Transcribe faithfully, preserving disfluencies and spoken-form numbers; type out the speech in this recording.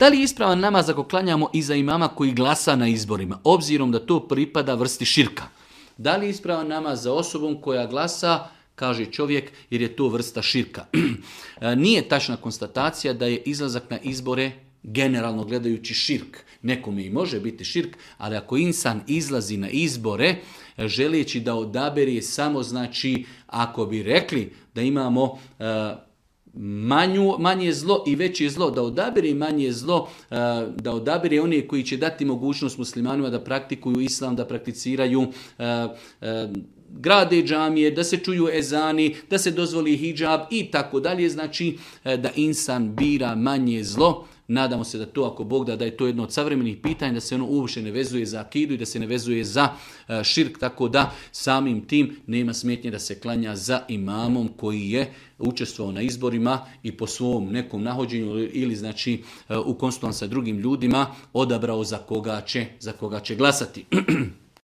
Da li je ispravan namaz ako klanjamo iza imama koji glasa na izborima, obzirom da to pripada vrsti širka? Da li je ispravan namaz za osobom koja glasa, kaže čovjek, jer je to vrsta širka? Nije tačna konstatacija da je izlazak na izbore generalno gledajući širk. Nekome i može biti širk, ali ako insan izlazi na izbore želeći da odabere samo, znači, ako bi rekli da imamo uh, manju, manje zlo i veće zlo, da odabere manje zlo, uh, da odabere one koji će dati mogućnost muslimanima da praktikuju islam, da prakticiraju uh, uh, grade džamije, da se čuju ezani, da se dozvoli hidžab i tako dalje, znači da insan bira manje zlo. Nadamo se da to, ako Bog da, da je to jedno od savremenih pitanja, da se ono uopće ne vezuje za akidu i da se ne vezuje za širk, tako da samim tim nema smetnje da se klanja za imamom koji je učestvovao na izborima i po svom nekom nahođenju ili znači u konsultaciji sa drugim ljudima odabrao za koga će, za koga će glasati.